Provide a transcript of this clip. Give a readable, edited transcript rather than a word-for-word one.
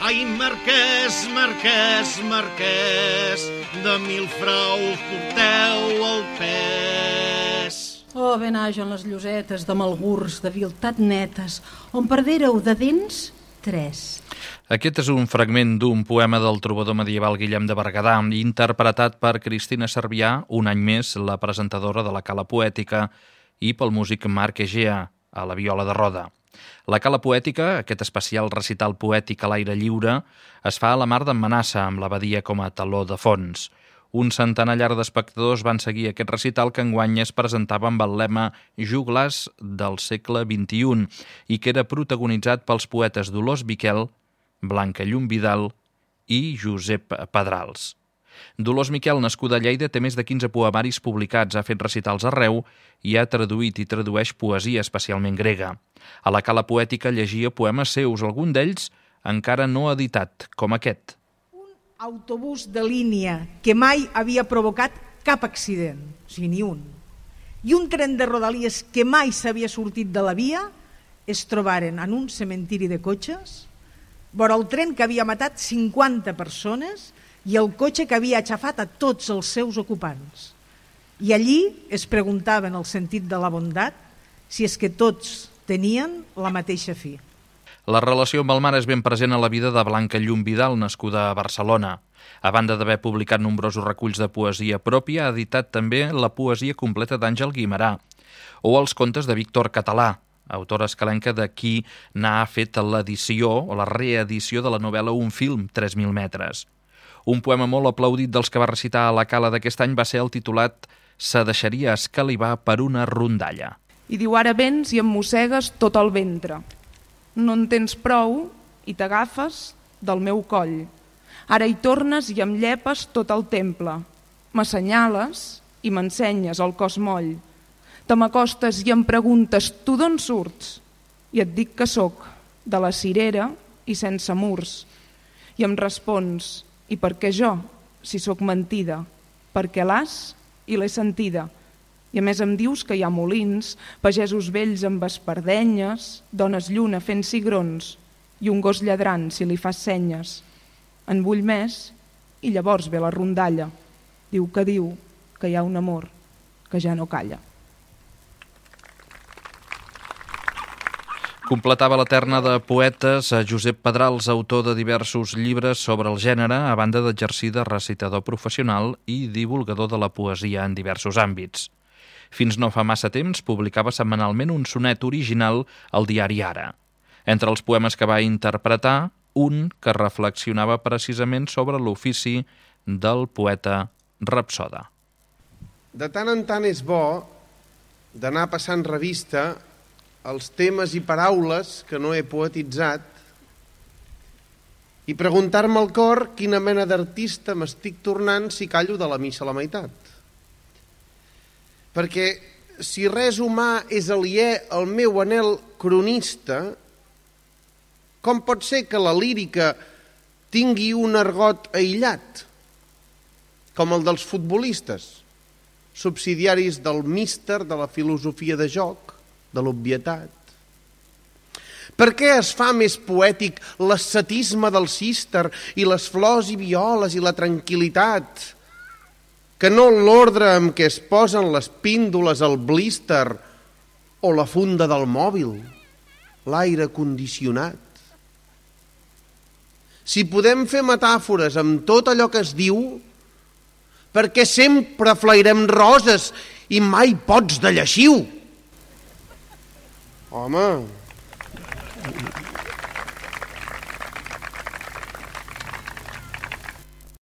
Ai, marquès, marquès, marquès, de mil fraus porteu el pes. Oh, ben hagen les llosetes de malgurs, de viltat netes, on perdéreu de dents 3. Aquest és un fragment d'un poema del trobador medieval Guillem de Berguedà, interpretat per Cristina Cervià, un any més la presentadora de la Cala Poètica, i pel músic Marc Egea, a la viola de roda. La Cala Poètica, aquest especial recital poètic a l'aire lliure, es fa a la Mar d'en Manassa, amb l'abadia com a teló de fons. Un centenar llarg d'espectadors van seguir aquest recital que enguany es presentava amb el lema Joglars del segle XXI i que era protagonitzat pels poetes Dolors Miquel, Blanca Llum Vidal i Josep Pedrals. Dolors Miquel, nascuda a Lleida, té més de 15 poemaris publicats, ha fet recitals arreu i ha traduït i tradueix poesia, especialment grega. A la Cala Poètica llegia poemes seus, algun d'ells encara no editat, com aquest. Un autobús de línia que mai havia provocat cap accident, o sigui, ni un. I un tren de Rodalies que mai s'havia sortit de la via es trobaren en un cementiri de cotxes, vora el tren que havia matat 50 persones i el cotxe que havia aixafat a tots els seus ocupants. I allí es preguntaven el sentit de la bondat, si és que tots tenien la mateixa fi. La relació amb el mar és ben present a la vida de Blanca Llum Vidal, nascuda a Barcelona. A banda d'haver publicat nombrosos reculls de poesia pròpia, ha editat també la poesia completa d'Àngel Guimerà o els contes de Víctor Català, autora escalenca de qui n'ha fet l'edició o la reedició de la novel·la Un film, 3.000 metres. Un poema molt aplaudit dels que va recitar a la Cala d'aquest any va ser el titulat «Se deixaria escalivar per una rondalla». I diu, ara vens i em mossegues tot el ventre. No en tens prou i t'agafes del meu coll. Ara hi tornes i em llepes tot el temple. M'assenyales i m'ensenyes el cos moll. Te m'acostes i em preguntes, tu d'on surts? I et dic que sóc de la cirera i sense murs. I em respons, i per què jo, si sóc mentida? Perquè l'has i l'he sentida. I a més em dius que hi ha molins, pagesos vells amb espardenyes, dones lluna fent cigrons i un gos lladrant si li fas senyes. En vull més i llavors ve la rondalla. Diu que hi ha un amor que ja no calla. Completava la terna de poetes Josep Pedrals, autor de diversos llibres sobre el gènere, a banda d'exercir de recitador professional i divulgador de la poesia en diversos àmbits. Fins no fa massa temps publicava setmanalment un sonet original al diari Ara. Entre els poemes que va interpretar, un que reflexionava precisament sobre l'ofici del poeta rapsoda. De tant en tant és bo d'anar passant revista els temes i paraules que no he poetitzat i preguntar-me al cor quina mena d'artista m'estic tornant si callo de la missa a la meitat. Perquè si res humà és aliè al meu anhel cronista, com pot ser que la lírica tingui un argot aïllat, com el dels futbolistes, subsidiaris del míster, de la filosofia de joc, de l'obvietat? Per què es fa més poètic l'ascetisme del císter i les flors i violes i la tranquil·litat que no l'ordre amb què es posen les píndoles al blíster o la funda del mòbil, l'aire condicionat? Si podem fer metàfores amb tot allò que es diu, per què sempre flairem roses i mai pots de lleixiu? Home...